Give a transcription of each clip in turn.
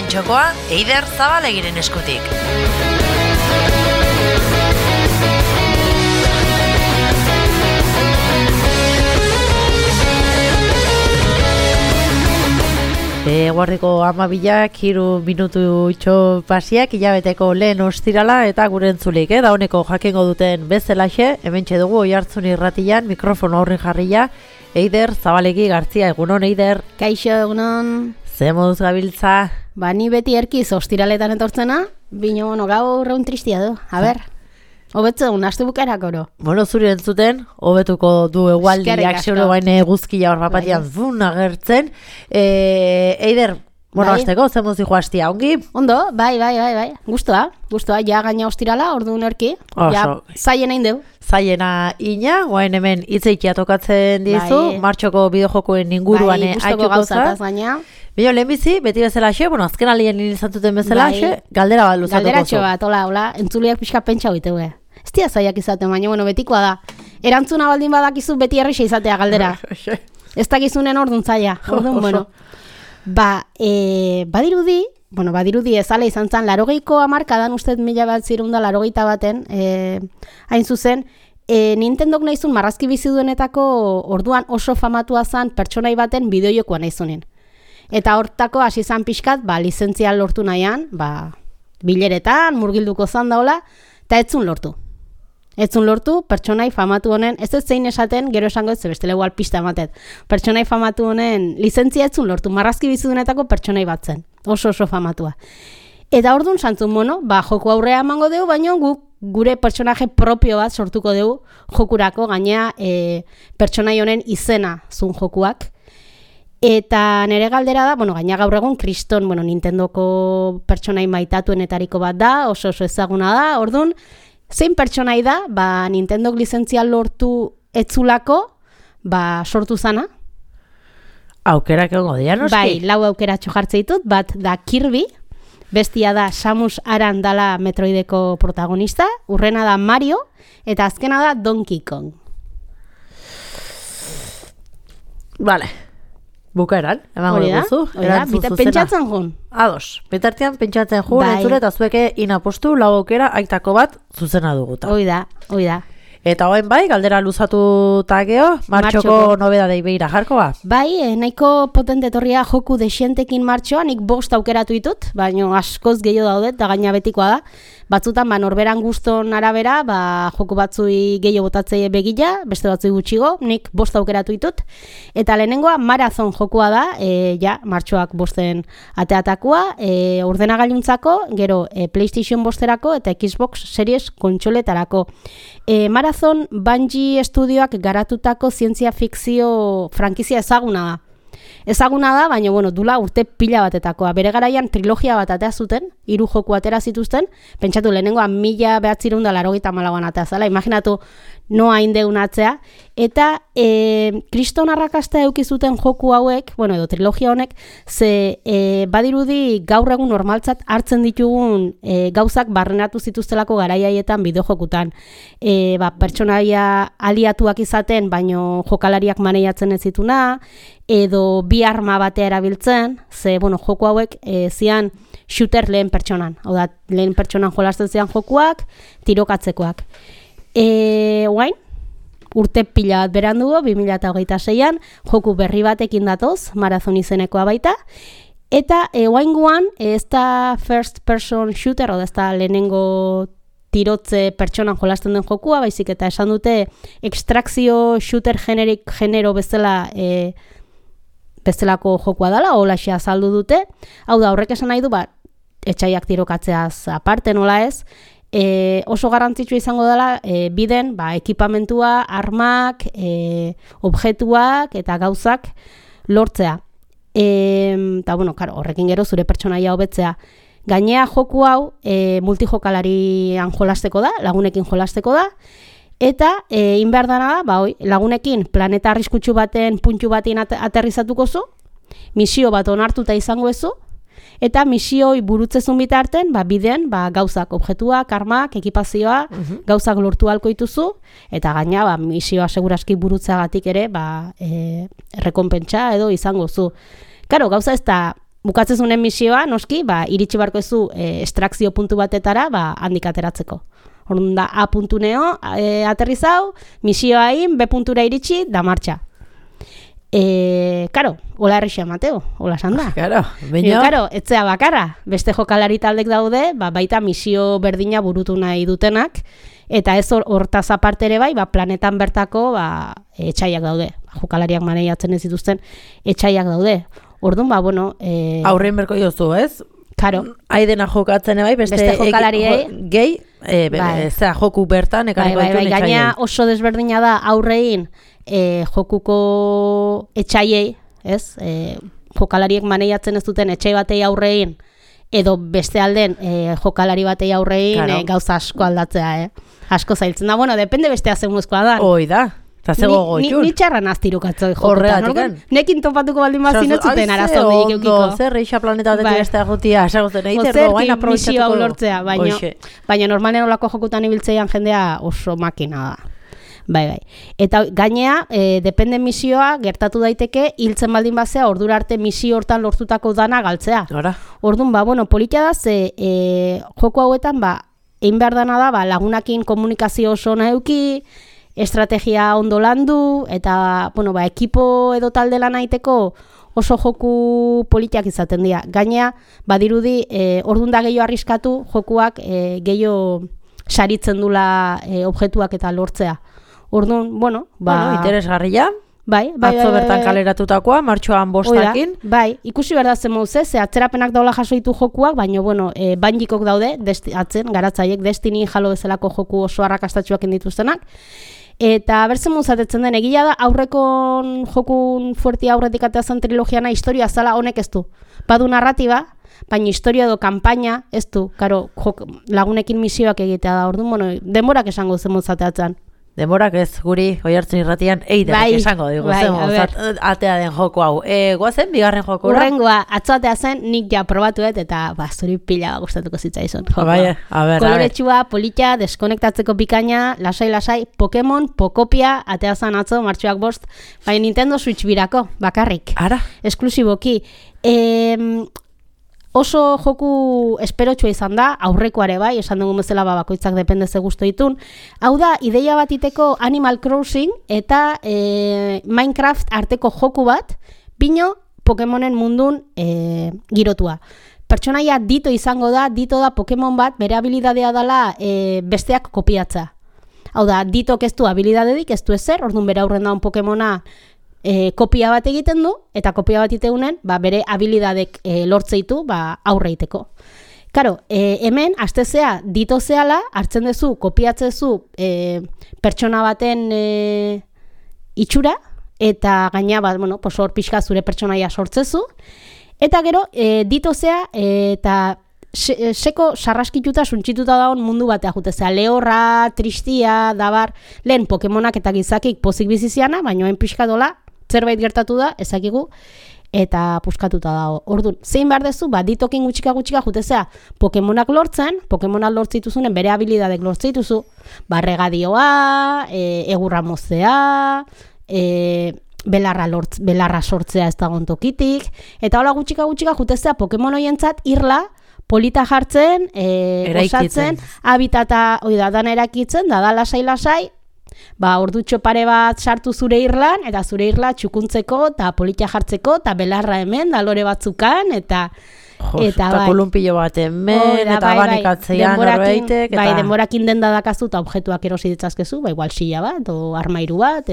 Lehen txokoa, Eider Zabalegiren eskutik. Guardiko 12 3 minutu itxo pasiak hilabeteko lehen ostirala eta gure entzulik, da honeko jakingo duten bezalaxe, hementxe dugu Oihartzun irratian mikrofono aurrin jarria, Eider Zabalegi Gartzia, egunon Eider. Kaixo, egunon. Ze moduz gabiltza? Ba, ni beti erkiz ostiraletan etortzena, bino, gaur egun tristia du, a ber. Hobetze un aste bukaerak oro. Bueno, zuri entzuten, hobetuko du egualdiak zeuro baina eguzkia hor bapatian zun agertzen. Eider, bueno, azteko, zen mozi joaztia, ongi? Ondo, bai. Guztua, ja gaina ostirala, orduan erki. Ja, zaien hain deu. Zaiena ina, guain hemen hitzeikia tokatzen dizu, martxoko bideojokoen inguruan aituko za. Bino, lehenbizi, beti bezalaxe, bueno, azken alien izantuten bezalaxe, galdera bat luzatuko zu. Galderatxo bat, hola, entzuliak pixka pentsa hoitegue. Ez dia zaiak izaten, baina, bueno, betikoa da. Erantzuna baldin badakizu beti erreixa izatea galdera. Ez dakizunen orduan zaila, orduan, bueno. Badirudi ezala izan zen, 80ko hamarkadan, ustez 1981 hain zuzen, Nintendok nahizun marrazki bizi duenetako orduan oso famatua zen pertsonai baten bideojokoa nahizunen. Eta hortako hasi izan pixkat, lizentzia lortu nahian, bileretan, murgilduko zan daula, eta etzun lortu. Etzun lortu, pertsonai famatu honen, ez zein esaten, gero esango ez, bestele igual pista ematet. Pertsonai famatu honen lizentzia etzun lortu, marrazki bizi duenetako pertsonai bat zen. Oso famatua. Eta orduan santzun, joku aurrea emango dugu, baina gure pertsonaje propio bat sortuko dugu jokurako, gainea pertsonai honen izena zun jokuak. Eta nere galdera da, gaina gaur egun kriston, Nintendoko pertsonai maitatuenetariko bat da, oso ezaguna da, orduan, zein pertsonai da, Nintendok lizentzia lortu etzulako, sortu zana? Aukerak egongo dira, noski? Bai, 4 aukeratxo jartze ditut, bat da Kirby, bestia da Samus Aran dala Metroideko protagonista, urrena da Mario, eta azkena da Donkey Kong. Vale. Bukaeran, emango dugu zu. Pentsatzen jun. Ados, betartean pentsatzen jun, entzule eta zueke inapostu 4 aukera aitako bat zuzena duguta. Hoi da. Eta hoen bai, galdera luzatu tageo, martxoko nobedadei behira jarkoa. Bai, nahiko potente etorria joku desientekin martxoa, nik 5 aukeratu ditut, baina askoz gehiago daudet, eta gaina betikoa da. Batzutan, norberan guston arabera, joku batzui gehiago botatzei begila, beste batzui gutxigo, nik 5 aukeratu ditut. Eta lehenengoa marazon jokua da, martxoak 5 ateatakoa, ordenagailuntzako, gero PlayStation 5erako eta Xbox Series kontsoletarako. Marazon Bungie Studioak garatutako zientzia fikzio frankizia ezaguna da. Ezaguna da, baina, dula urte pila batetakoa. Bere garaian trilogia bat atea zuten, 3 joku atera zituzten, pentsatu lehenengoa 1984an atea zala, imaginatu noa indeun atzea, eta kriston arrakasta eukizuten joku hauek, edo trilogia honek, ze badirudi gaur egun normaltzat hartzen ditugun gauzak barrenatu zituztelako garaiaietan bideojokutan. Pertsonaia aliatuak izaten, baino jokalariak maneiatzen ez zituna, edo bi arma batea erabiltzen, ze, joku hauek zian shooter lehen pertsonan. Hau da, lehen pertsonan jolasten zian jokuak, tirokatzekoak. Guain, urte pila bat berandu 2026an, joku berri batekin datoz, marazon izenekoa baita. Eta guain ez da first person shooter, oda ez da lehenengo tirotze pertsonan jolasten den jokua, baizik eta esan dute extrakzio shooter genero bezala bestelako jokua dela, holaxe azaldu dute. Hau da, horrek esan nahi du, etxaiak tirokatzeaz aparte nola ez, oso garrantzitsua izango dela biden ekipamentua, armak, objektuak eta gauzak lortzea. Eta, horrekin gero zure pertsonaia hobetzea. Gainea joku hau multijokalarian jolasteko da, lagunekin jolasteko da, eta inbehar dana da, lagunekin planeta arriskutsu baten puntu batean aterrizatuko zu, misio bat onartuta izango ezu, eta misioi burutzezun bitarten, bidean, gauzak, objektuak, armak, ekipazioa, gauzak lortu halko dituzu, eta gaina, misioa seguraski burutzeagatik ere, rekonpentsa edo izango zu. Karo, gauza ez da bukatzezunen misioa, noski, iritsi barko zu estrakzio puntu batetara, handik ateratzeko. Orduan da, A puntu neo, aterrizau, misioa egin, B puntura iritsi, da martxa. Karo, hola errexia Mateo, hola esan da. Karo, etzea bakarra, beste jokalari taldek daude, baita misio berdina burutu nahi dutenak, eta ez hortaz aparte ere bai, planetan bertako etxaiak daude. Jokalariak maneiatzen ez dituzten etxaiak daude. Orduan, aurrein berko jozu, ez? Karo. Aidena jokatzen bai, beste jokalariei gehi, joku bertan, ekarriko dituen etxaiei. Gaina oso desberdina da aurrein jokuko etxaiei, ez? Jokalariek maneiatzen ez duten etxai batei aurrein, edo beste alden jokalari batei aurrein gauza asko aldatzea, Asko zailtzen da, depende bestea zemuzkoa da. Hoi da. Ni txarran aztirukatzoi jokutan. Nekin topatuko baldin bazin ez zuten arazo behik eukiko. Zer, reixa planeta batetik bestea jotia, esagozen egiter, guain aprobetxatuko lortzea, baina normalen olako jokutan ibiltzeian jendea oso makina da. Bai. Eta gainea, depende misioa gertatu daiteke, hiltzen baldin bazea, ordura arte misio hortan lortutako dana galtzea. Orduan, politia da, ze joko hauetan, egin behar dana da, lagunakin komunikazio oso nahi estrategia ondo landu, eta, ekipo edo talde lan aiteko oso joku politiak izaten dira. Gainea, badirudi, orduan da gehiago arriskatu, jokuak gehiago saritzen dula objektuak eta lortzea. Orduan, interesgarria. Bai. Atzo bertan kaleratutakoa, martxoan bostakin. Bai, ikusi behar da zen mauz, ze atzerapenak daula jaso ditu jokuak, baina, bandikok daude, atzen, garatzaiek, Destiny jalo bezalako joku oso arrakastatxuak indituztenak. Eta berzen muzatetzen den, egia da, aurrekon jokun fuerti aurretik ateazan trilogiana historia zala honek ez du. Badu narratiba, baina historia edo kanpaina ez du. Karo, lagunekin misioak egitea da, orduan, denborak esango zen muzateatzen. Denborak ez, guri, Oihartzun irratian, eiderak esango dugu, atea den joko hau. Guazen, bigarren joko? Urrengoa, atzo atea zen, nik ja probatuet, eta zuri pila gustatuko zitzaizun. Koloretsua, politia, deskonektatzeko bikaina, lasai, Pokemon, Pokopia, atea zen atzo, martxoak 5, baina Nintendo Switch birako, bakarrik. Ara? Esklusiboki. Oso joku esperotxua izan da, aurrekoare bai, esan dugu bezala bakoitzak depende ze gustu ditun. Hau da, ideia bat iteko Animal Crossing eta Minecraft arteko joku bat, bino Pokemonen mundun girotua. Pertsonaia Dito izango da, Dito da Pokemon bat, bere habilidadea dela besteak kopiatza. Hau da, Ditok ez du habilidadedik, ez du ezer, orduan bere aurren daun Pokemona kopia bat egiten du, eta kopia bat iteunen, bere habilidadek lortzeitu aurreiteko. Karo, hemen, astezea, Dito zehala, hartzen duzu, kopiatzezu pertsona baten itxura, eta gaina, hor pixka zure pertsonaia sortzezu, eta gero, Dito zea, eta seko sarraskituta, suntxituta daun mundu batea jutezea, lehorra, tristia, dabar, lehen Pokemonak eta gizakik pozik biziziana, baina hain pixka dola, zerbait gertatu da, ezakigu, eta puskatuta dago. Orduan, zein behar dezu, Ditokin gutxika jutezea, Pokemonak lortzen, Pokemonak lortzituzunen bere habilidadek lortzituzu, regadioa, egurra mozea, belarra sortzea ez dagoen tokitik, eta hola gutxika jutezea Pokemon hoientzat irla, polita jartzen, osatzen, habitata, dana erakitzen, da lasai, ordutxo pare bat sartu zure irlan, eta zure irla txukuntzeko, eta polita jartzeko, eta belarra hemen, da lore batzukan, eta kolumpillo bat hemen, eta banikatzean norbeitek. Bai, denborakin denda dakazu, eta objektuak erosi ditzazkezu, igual silla bat, o armairu bat,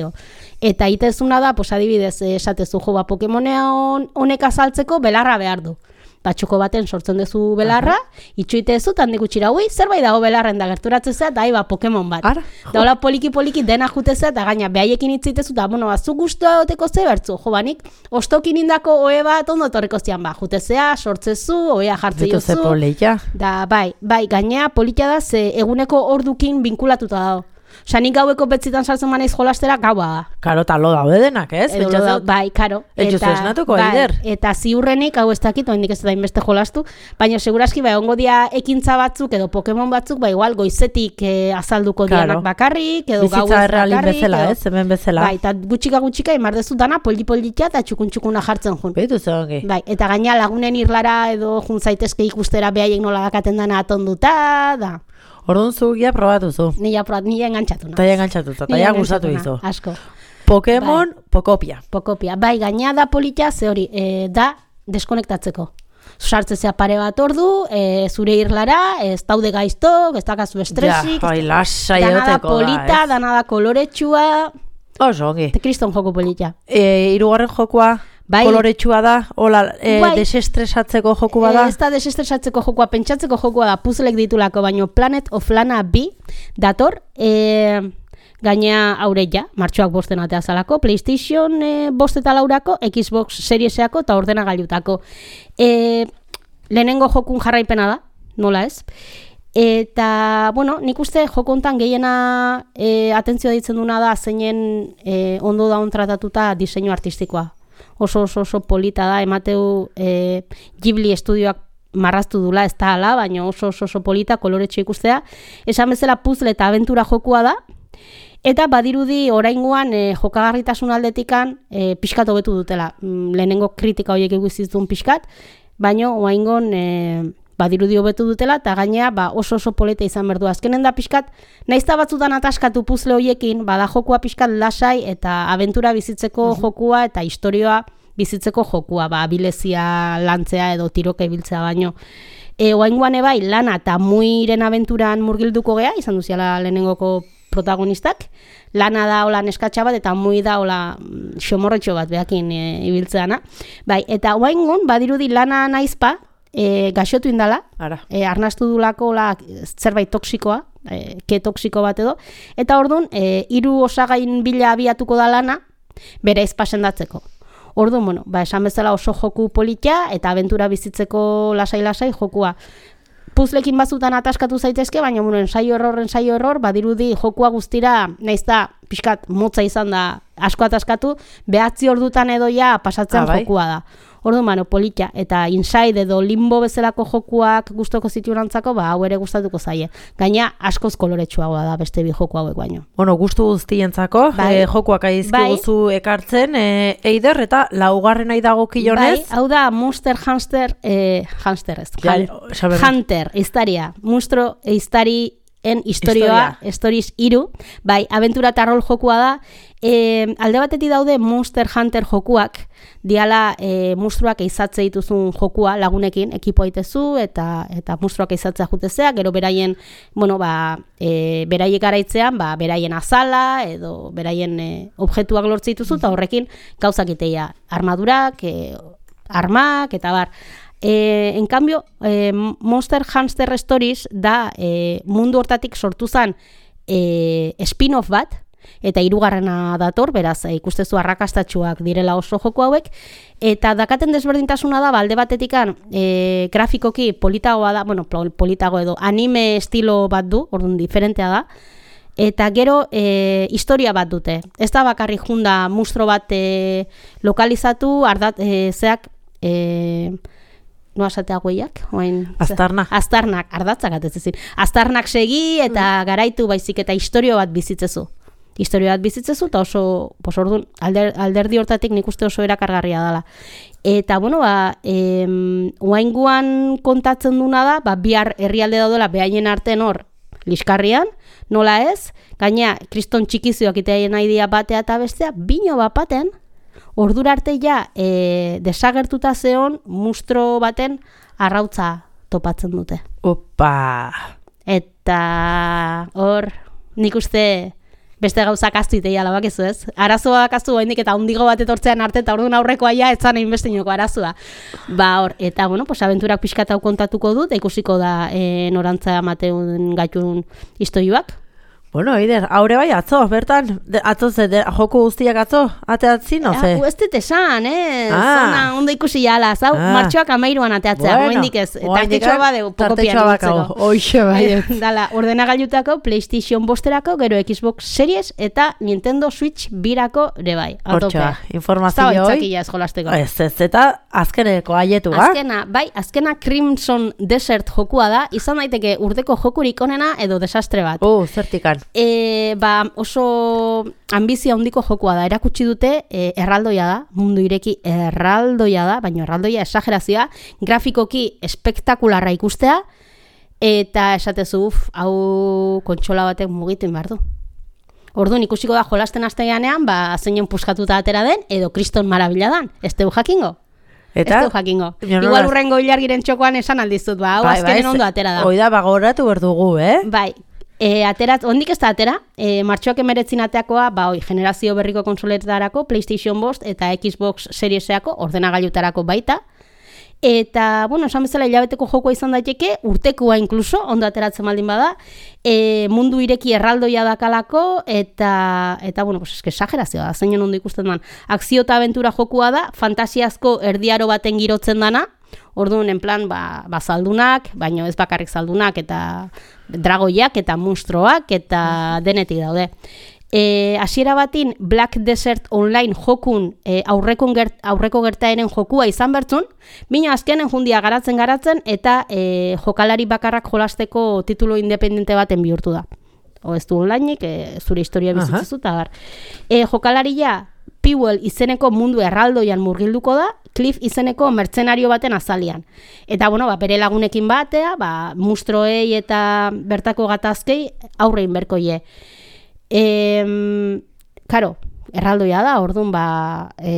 eta itezuna da, adibidez, esatezu Pokemonea honek azaltzeko belarra behar du. Txoko baten sortzen duzu belarra, itxuitezu, tandik utxira, zerbait dago belarren da gerturatzea, eta Pokemon bat. Da hola poliki dena jutezea, eta gaina behaiekin itzitezu, eta zu guztua doteko ze bertzu, banik, ostokin indako oe bat ondo torreko zian, jutezea, sortzezu, oea jartze jozu. Dituz ze polita. Da, bai, gainea politia da, ze eguneko ordukin binkulatuta dago. Osea, nik gaueko betzitan sartzen manaiz jolastera, gaua da. Karo, talo daude denak, ez? Bai, karo. Etxuzu esnatuko, Eider. Eta ziurrenik, hau ez dakit, oindik ez da inbeste jolastu, baina seguraski, bai, ongo dia ekintza batzuk, edo Pokemon batzuk, bai, igual, goizetik azalduko dianak bakarrik, edo gauez bakarrik. Bizitza errealin bezala, ez? Hemen bezala. Bai, eta gutxika, imardezu dana, polli-pollitia eta txukun-txukuna jartzen jun. Beitu zongi. Bai, eta gaina lagunen irlara edo jun zaitezke ikustera behaiek nola dakaten dana atonduta, da. Orduan zugia probatu zu. Nila engantzatu nahi. Taia engantzatu, taia gustatu izu. Asko. Pokemon, bai. Pokopia. Bai, gaina da politia, ze hori, da deskonektatzeko. Sartzezea pare bat ordu, zure irlara, ez daude gaiztok, ez dakazu estresik. Ja, bai, lasai dana da egoteko polita, dana da koloretsua. Oso, ongi. Kriston joko politia. Hirugarren jokoa, bai. Koloretsua da, hola, bai. Desestresatzeko joku bada? Ez da desestresatzeko jokua, pentsatzeko jokua da, puzzlek ditulako, baino Planet of Lana B dator, gaina aureia, martxoak bosten atea zalako, PlayStation 5 eta 4, Xbox Serieseko eta ordenagailutako. Lehenengo jokun jarraipena da, nola ez? Eta, bueno, nik uste joko hontan gehiena atentzioa ditzen duna da, zeinen ondo daun tratatuta diseinu artistikoa. Oso polita da, emateu Ghibli estudioak marraztu dula, ez da ala, baina oso polita, koloretxo ikustea. Esan bezala puzzle eta abentura jokua da, eta badirudi oraingoan jokagarritasun aldetikan pixkat hobetu dutela. Lehenengo kritika horiek eguzizun pixkat, baina oraingon badirudi hobetu dutela, eta gainea oso polita izan berdu. Azkenen da pixkat, naizta batzutan ataskatu puzzle horiekin, bada jokua pixkat lasai eta abentura bizitzeko jokua eta historioa bizitzeko jokua, abilezia lantzea edo tiroka ibiltzea baino. Oraingoan bai, Lana eta Muiren abenturan murgilduko gea, izan duziala lehenengoko protagonistak. Lana da hola neskatxa bat eta Mui da hola xomorretxo bat behakin ibiltzeana. Bai, eta oraingon badirudi Lana naizpa, gaxotu indala, arnastu dulako zerbait toksikoa, ke toksiko bat edo, eta orduan, 3 osagain bila abiatuko da Lana, bere izpasendatzeko. Orduan, bueno, esan bezala oso joku politia, eta abentura bizitzeko lasai-lasai jokua. Puzzlekin batzutan ataskatu zaitezke, baina ensaio error, badirudi jokua guztira, nahiz da, pixkat motza izan da asko ataskatu, 9 ordutan edo ja pasatzen jokua da. Orduan, politia, eta Inside edo Limbo bezalako jokuak gustoko ziturantzako, hau ere gustatuko zaie. Gaina, askoz koloretsuagoa da beste bi joku hauek baino. Bueno, gustu guztientzako, jokuak aizkiguzu ekartzen, Eider, eta laugarren nahi dago kilonez? Hau da, Monster Hunter, Hunter, iztaria, monstro iztarien historioa, Stories 3, abentura eta rol jokua da, alde batetik daude Monster Hunter jokuak, diala monstruak eizatze dituzun jokua lagunekin, ekipo aitezu, eta monstruak eizatzea jutezea, gero beraien, beraiek garaitzean, beraien azala, edo beraien objektuak lortze dituzu, eta horrekin gauzak iteia, armadurak, armak, eta bar. En cambio, Monster Hunter Stories da mundu hortatik sortu zen spin-off bat, eta 3. dator, beraz, ikustezu arrakastatxuak direla oso joko hauek, eta dakaten desberdintasuna da, alde batetikan grafikoki politagoa da, politago edo anime estilo bat du, orduan diferentea da, eta gero historia bat dute. Ez da bakarrik junda monstro bat lokalizatu, zeak no asatea gueiak? Aztarnak, ardatzak atezezin. Aztarnak segi eta garaitu baizik eta historio bat bizitzezu. Eta oso, orduan, alderdi hortatik nik uste oso erakargarria dela. Eta, oainguan kontatzen duna da, bihar herrialde daudela behaien arten hor, liskarrian, nola ez, gaina, kriston txikizioak iteaien nahi batea eta bestea, bino bat baten, ordura arte ja desagertuta zeon monstro baten arrautza topatzen dute. Opa! Eta hor, nik uste beste gauzak aztu iteia labakezu ez. Arazoa dakazu haindik eta hundigo bat etortzean arte eta orduan aurrekoa ja etzan egin bestinoko arazoa. Hor, eta abenturak pixkat hau kontatuko dut, ikusiko da norantza amateun gaitun historioak. Bueno, Eider, haure bai atzo, bertan, atzo joku guztiak atzo, ateatzin, no ze? Ez dut esan, zona ondo ikusi jala, zau, martxoak 13an ateatzea, goendik ez, tartetxoa badeu, poko pianitzeko. Oixe bai. Dala, ordenagailutako, PlayStation 5erako, gero Xbox Series, eta Nintendo Switch birako ere bai. Hortxoa, informazio hoi. Zauitzakila eskolasteko. Ez, eta azkeneko aietu, Azkena Crimson Desert jokua da, izan daiteke urteko jokurik onena edo desastre bat. Zertikan. Oso ambizia handiko jokua da, erakutsi dute erraldoia da, mundu ireki erraldoia da, baina erraldoia esagerazioa, grafikoki espektakularra ikustea, eta esatezu, hau kontsola batek mugitu behar du. Orduan ikusiko da jolasten asteanean, zeinen puskatuta atera den, edo kriston marabila dan, ez teu jakingo? Eta? Ez du jakingo. Igual urrengo ilargiren txokoan esan aldizut, hau azkenen ondo atera da. Oida bagoratu berdugu, Bai. Ondik ez da atera, martxoak 19 ateakoa, generazio berriko konsoletarako, PlayStation 5 eta Xbox Serieseako, ordenagailutarako baita. Eta, esan bezala hilabeteko jokoa izan daiteke, urtekoa inkluso, ondo ateratzen baldin bada, mundu ireki erraldoia dakalako, eta esagerazioa da, zeinen ondo ikusten dan. Akzio eta abentura jokua da, fantasiazko erdiaro baten girotzen dana, orduan, en plan, zaldunak, baino ez bakarrik zaldunak, eta dragoiak, eta monstruoak, eta denetik daude. Hasiera batin Black Desert Online jokun aurreko gertaeren jokua izan bertzun, bina azkenen jundia garatzen, eta jokalari bakarrak jolasteko titulo independente baten bihurtu da. Ez du onlineik, zure historia bizitzezu, eta bar. Jokalaria Pewell izeneko mundu erraldoian murgilduko da, Cliff izeneko mertzenario baten azalian. Eta, bere lagunekin batea, mustroei eta bertako gatazkei aurrein berkoie. Karo, erraldoia da, orduan,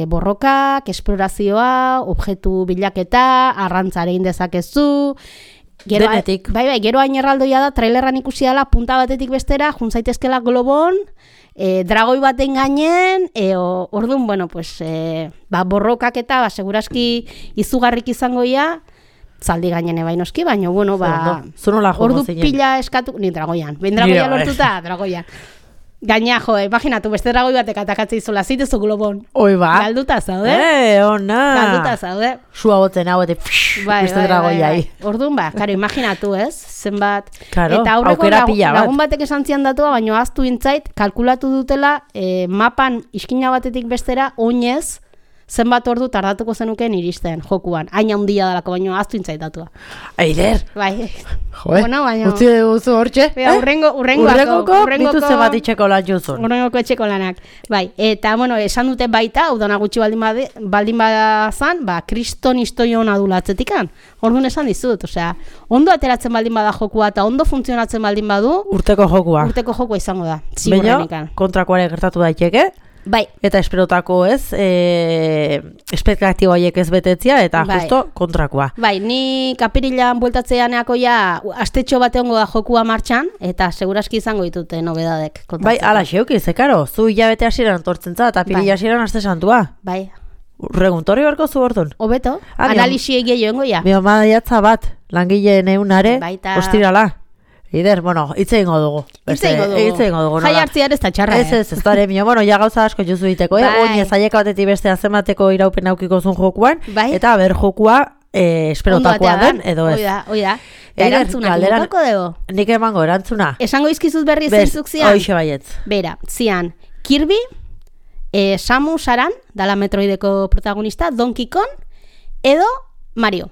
borrokak, esplorazioa, objektu bilaketa, arrantzarein dezakezu, denetik. Bai, gero hain erraldoia da, trailerran ikusi dela, punta batetik bestera, juntzaitezkela globon, dragoi baten gainen, orduan, borrokak eta, seguraski izugarrik izangoia, zaldi gainen ebain oski, baina, ordu pila eskatu, ni dragoian, ben dragoia lortuta, dragoian. Gaina, imaginatu, beste dragoi batek atakatzea izola, zitezu globon. Oi, Galduta zaude. Ona. Galduta zaude. Sua boten hau, beste dragoiai. Orduan, karo, imaginatu, ez? Zenbat. Karo, eta aurreko lagun batek esan zian datua, baina aztu intzait, kalkulatu dutela, mapan iskina batetik bestera, oinez, zenbat ordu tardatuko zenuken iristen jokuan. Hain handia dalako, baina aztu intzait datua. Eider. Bai. Baina. Utzi duzu hortxe? Urrengoko dituzte bat itxeko lan juzun. Urrengoko etxeko lanak. Bai, eta, esan dute baita, udana gutxi baldin badazan, kriston historio hona dula atzetikan. Orduan esan dizut, ondo ateratzen baldin bada jokua eta ondo funtzionatzen baldin badu. Urteko jokua izango da. Baina, kontrakoare gertatu daiteke. Bai. Eta esperotako espektatibo haiek ez betetzia, eta justo kontrakoa. Bai, ni kapirilan bueltatzeaneako astetxo bate hongo da jokua martxan, eta seguraski izango ditute nobedadek kontatzeko. Bai, ala xeuki, zekaro, zu hilabete hasieran tortzen za, eta pirila hasieran aste santua. Bai. Reguntorri barko zu hortun. Obeto, analisi egia joengo ja. Bio maiatza bat, langileen eunare, ostirala. Eider, hitze ingo dugu. Hitze ingo dugu. Jai hartziar ez da txarra. Ez dara emio, gauza asko juzu diteko, oin ezaieka batetik beste azemateko iraupen aukiko zun jokuan, eta ber jokua esperotakoa den, edo ez. Oida. Erantzuna, nintoko dugu? Nik emango, erantzuna. Esango izkizut berri zeintzuk zian? Hoixe baietz. Bera, zian, Kirby, Samus Aran, dala Metroideko protagonista, Donkey Kong, edo Mario.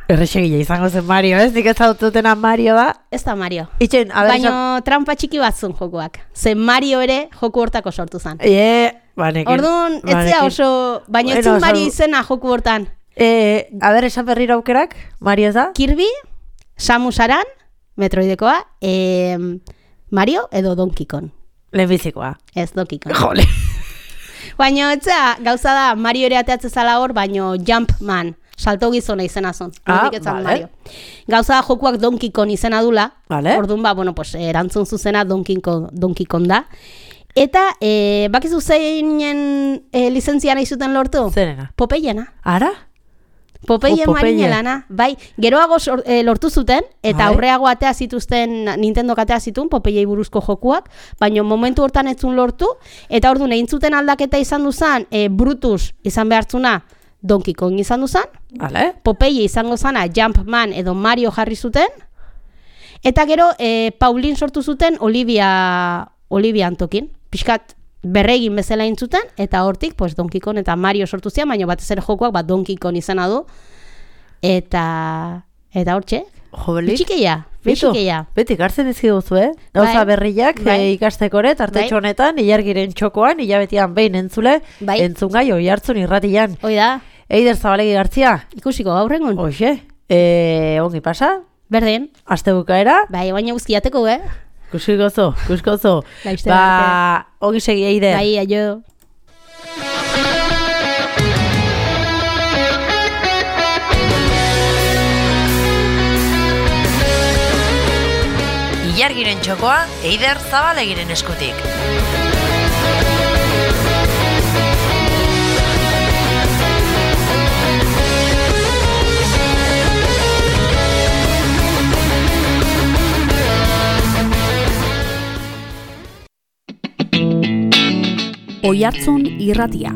Errexegile izango zen Mario, ez? Nik ez dutena Mario da. Ez da Mario. Itxen, baina trampa txiki batzun jokuak. Zen Mario ere joku hortako sortu zen. Orduan, etzea oso, baina ez zuen Mario izena joku hortan. Esan berriro aukerak, Mario ez da? Kirby, Samus Aran, Metroidekoa, Mario edo Donkey Kong. Lehenbizikoa. Ez, Donkey Kong. Jole. Baina, etzea, gauza da, Mario ere ateatzen zala hor, baina Jumpman. Salto gizona izena zon. Mario. Gauza da jokuak Donkey Kong izena dula. Orduan erantzun zuzena Donkey Kong da. Eta, bakizu zeinen lizentzia nahi zuten lortu? Zerena? Popeyena. Ara? Popeye Popeye. marinelana, bai, geroago lortu zuten, eta Bai. aurreago atea zituzten, Nintendok atea zituen, Popeyei buruzko jokuak, baina momentu hortan ez zuen lortu, eta orduan egin zuten aldaketa izan duzan, Brutus izan behartzuna, Donkey Kong izan duzan, Vale. Popeye izango zana, Jumpman edo Mario jarri zuten, eta gero Pauline sortu zuten Olivia Antokin, pixkat berregin bezala intzuten, eta hortik pues, Donkey Kong eta Mario sortu zian, baina batez ere jokoak Donkey Kong izena du, eta hortxe, bitxikeia. Beti gartzen izki duzu, Gauza Bai. berriak Bai. ikastekoret, artetxo honetan, ilargiren txokoan, hilabetian behin entzule, Bai. entzungai Oihartzun irratian. Hoi da, Eider Zabalegi Gartzia, ikusiko gaurrengun. hoxe, ongi pasa, Berdin, aste bukaera, bai, baina guzkiateko, kuskozo. Laizte Ongi segi Eider. Bai, aio. Ilargiren txokoa, Eider Zabalegiren eskutik. Oihartzun irratia.